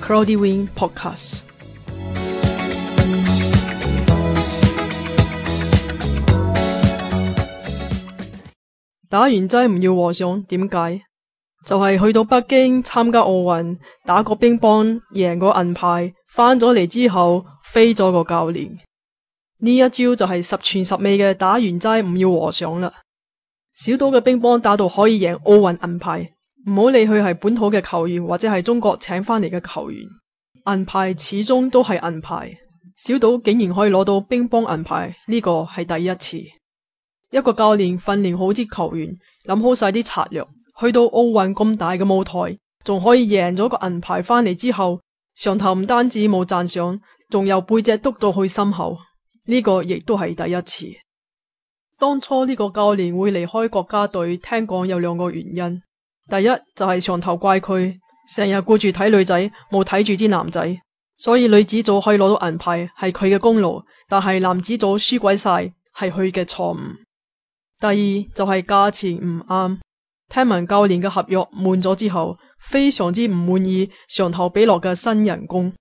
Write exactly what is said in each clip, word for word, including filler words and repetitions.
Cloudy Wing Podcast。打完齋唔要和尚，點解？就係去到北京參加奧運，打個乒乓贏個銀牌，翻咗嚟之後飛咗個教練。呢一招就係十全十美嘅打完齋唔要和尚啦。小島嘅乒乓打到可以贏奧運銀牌，唔好理佢係本土嘅球員或者係中國請翻嚟嘅球員，銀牌始終都係銀牌。小島竟然可以攞到乒乓銀牌，呢個係第一次。一個教練訓練好啲球員，諗好晒啲策略，去到奧運咁大嘅舞台，仲可以贏咗個銀牌翻嚟之後，上頭唔單止冇讚賞，仲有背脊督到去心口，呢個亦都係第一次。當初呢個教練會離開國家隊，聽講有兩個原因，第一就係上頭怪佢成日顧住睇女仔，冇睇住啲男仔，所以女子組可以攞到銀牌係佢嘅功勞，但係男子組輸鬼晒係佢嘅錯誤。第二就係價錢唔啱，聽聞教練嘅合約滿咗之後，非常之唔滿意上頭俾落嘅新人工，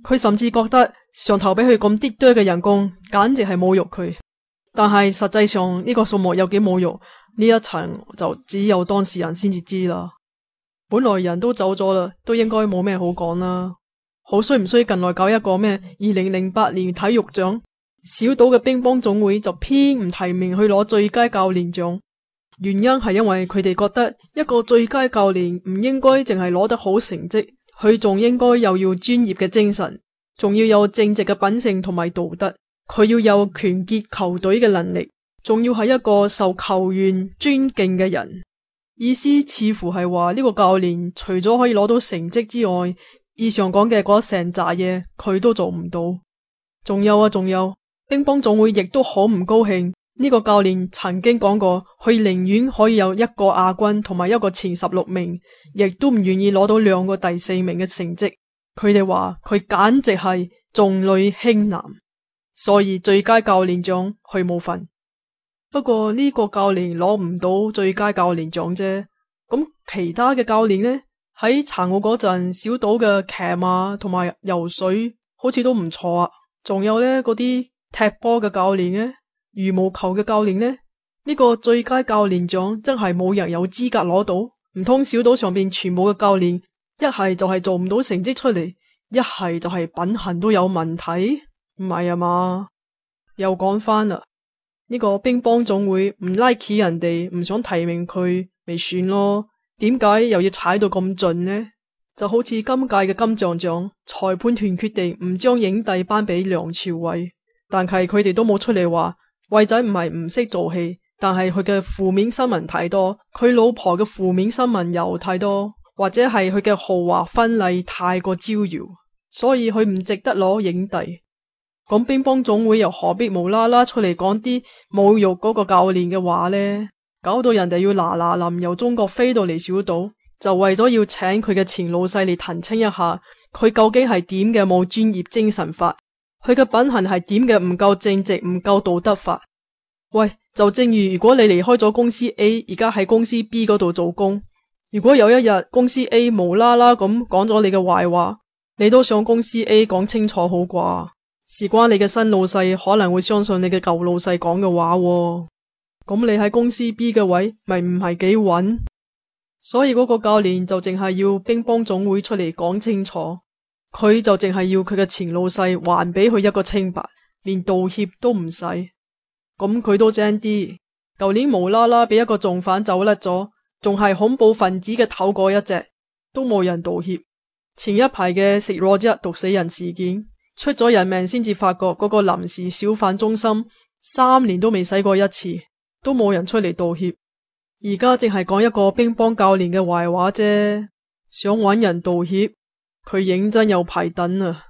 佢甚至覺得上頭俾佢咁啲多嘅人工，簡直係侮辱佢。但係實際上呢個數目有幾侮辱，呢一層就只有當事人先至知啦。本來人都走咗啦，都應該冇咩好講啦。好衰唔衰近來搞一個咩二零零八年體育獎，小島嘅乒乓總會就偏唔提名去攞最佳教練獎，原因係因為佢哋覺得一個最佳教練唔應該淨係攞得好成績，佢仲應該又要專業嘅精神，仲要有正直嘅品性同埋道德，佢要有團結球隊嘅能力，仲要係一個受球員尊敬嘅人。意思似乎係話呢個教練除咗可以攞到成績之外，以上講嘅嗰成紮嘢佢都做唔到。仲有啊仲有乒乓總會亦都好唔高興，呢個教練曾經講過，佢寧願可以有一個亞軍同埋一個前十六名，亦都唔願意攞到兩個第四名嘅成績。佢哋話佢簡直係重女輕男，所以最佳教練獎佢冇份。不過呢個教練攞唔到最佳教練獎啫，咁其他嘅教練呢？喺殘奧嗰陣，小島嘅騎馬同埋游水好似都唔錯啊。仲有呢嗰啲踢波嘅教練呢，羽毛球嘅教練呢，呢個最佳教練獎真係冇人有資格攞到。唔通小島上邊全部嘅教練一係就係做唔到成績出嚟，一係就係品行都有問題？唔係啊嘛？又講翻啦，呢個乒乓總會唔 like 人哋，唔想提名佢，咪算咯。點解又要踩到咁盡呢？就好似今屆嘅金像獎，裁判團決定唔將影帝頒俾梁朝偉，但係佢哋都冇出嚟話偉仔唔係唔識做戲，但係佢嘅負面新聞太多，佢老婆嘅負面新聞又太多，或者係佢嘅豪華婚禮太過招搖，所以佢唔值得攞影帝。咁乒乓總會又何必無啦啦出嚟講啲侮辱嗰個教練嘅話呢？搞到人哋要嗱嗱臨由中國飛到嚟小島，就為咗要請佢嘅前老細嚟澄清一下，佢究竟係點嘅冇專業精神法，佢嘅品行係點嘅唔夠正直唔夠道德法。喂，就正如如果你離開咗公司 A， 而家喺公司 B 嗰度做工，如果有一日公司 A 無啦啦咁講咗你嘅壞話，你都上公司 A 講清楚好啩？事關你嘅新老細可能會相信你嘅舊老細講嘅話喎，咁你喺公司 B 嘅位咪唔係幾穩？所以嗰個教練就淨係要乒乓總會出嚟講清楚，佢就淨係要佢嘅前老細還俾佢一個清白，連道歉都唔使。咁佢都精啲，舊年無啦啦俾一個重犯走甩咗，仲係恐怖分子嘅頭嗰一隻，都冇人道歉。前一排嘅食羅啫毒死人事件，出咗人命先至發覺嗰個臨時小販中心三年都未洗過一次，都冇人出嚟道歉。而家淨係講一個乒乓教練嘅壞話啫，想搵人道歉，佢認真有排等啊！